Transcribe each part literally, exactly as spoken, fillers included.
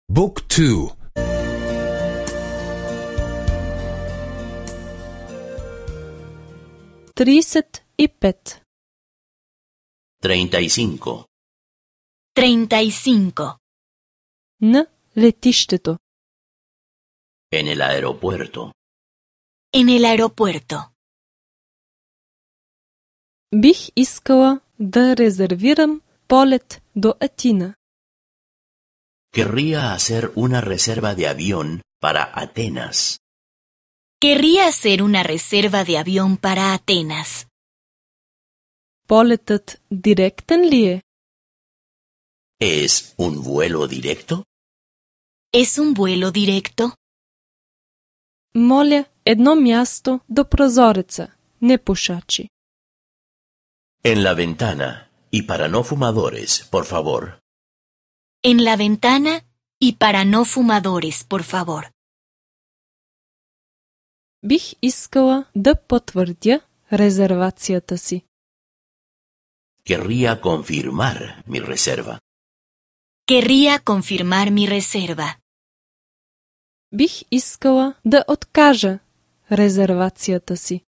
Book two. Тридесет и пет. Treinta y cinco. Treinta y cinco. На летището. En el aeropuerto. En el aeropuerto. Бих искала да резервирам полет до Атина. Querría hacer una reserva de avión para Atenas. Querría hacer una reserva de avión para Atenas. Полетът директен ли е? ¿Es un vuelo directo? ¿Es un vuelo directo? Моля, едно място до прозореца, не пушачи. En la ventana y para no fumadores, por favor. En la ventana y para no fumadores, por favor. Бих искала да потвърдя резервацията си. Querría confirmar mi reserva. Querría confirmar mi reserva. Бих искала да откажа резервацията си.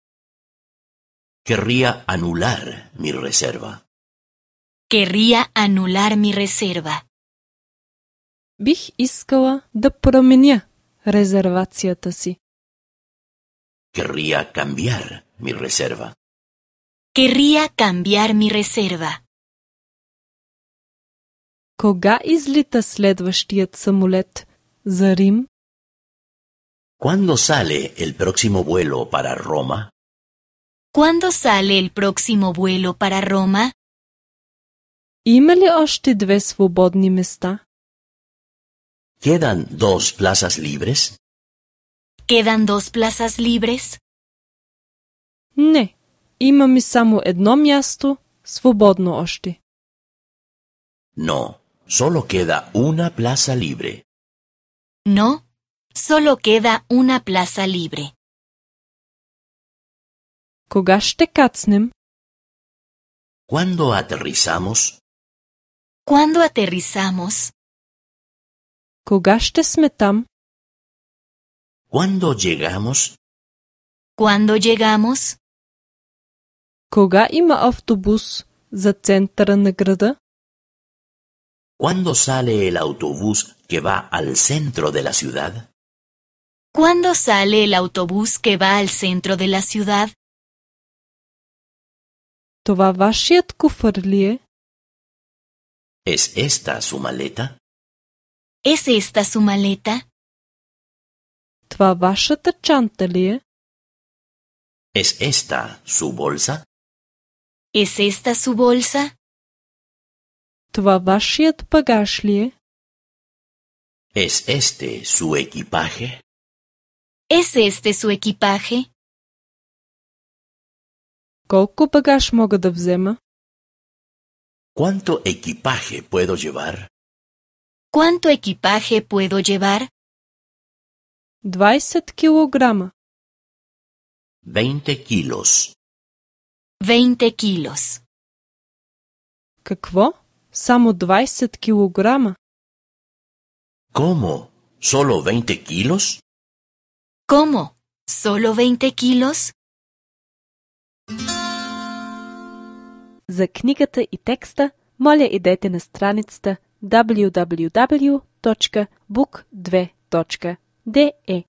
Querría anular mi reserva. Querría anular mi reserva. Бих искала да променя резервацията си. Querría cambiar mi reserva. Querría cambiar mi reserva. Кога излита следващият самолет за Рим? ¿Cuándo sale el próximo vuelo para Roma? ¿Cuándo sale el próximo vuelo para Roma? Има ли още две свободни места? ¿Quedan dos plazas libres? ¿Quedan dos plazas libres? Не, имаме само едно място свободно още. No, solo queda una plaza libre. No, solo queda una plaza libre. Кога ще кацнем? ¿Cuándo aterrizamos? ¿Cuándo aterrizamos? Кога ще сме там? ¿Cuándo llegamos? ¿Cuándo llegamos? Кога има автобус за центъра на града? ¿Cuándo sale el autobús que va al centro de la ciudad? ¿Cuándo sale el autobús que va al centro de la ciudad? Това вашият куфър ли е? ¿Es esta su maleta? ¿Es esta su maleta? Това вашата чанта ли е? ¿Es esta su bolsa? ¿Es esta su bolsa? Това вашият багаж ли е? ¿Es este su equipaje? ¿Es este su equipaje? Колко багаж мога да взема? ¿Cuánto equipaje puedo llevar? ¿Cuánto equipaje puedo llevar? двайсет килограма. Veinte kilos. Veinte kilos. Какво? Само двайсет килограма? ¿Cómo? ¿Solo veinte kilos? ¿Cómo? ¿Solo veinte kilos? За книгата и текста, моля идете на страницата дабъл ю дабъл ю дабъл ю точка бук две точка де е.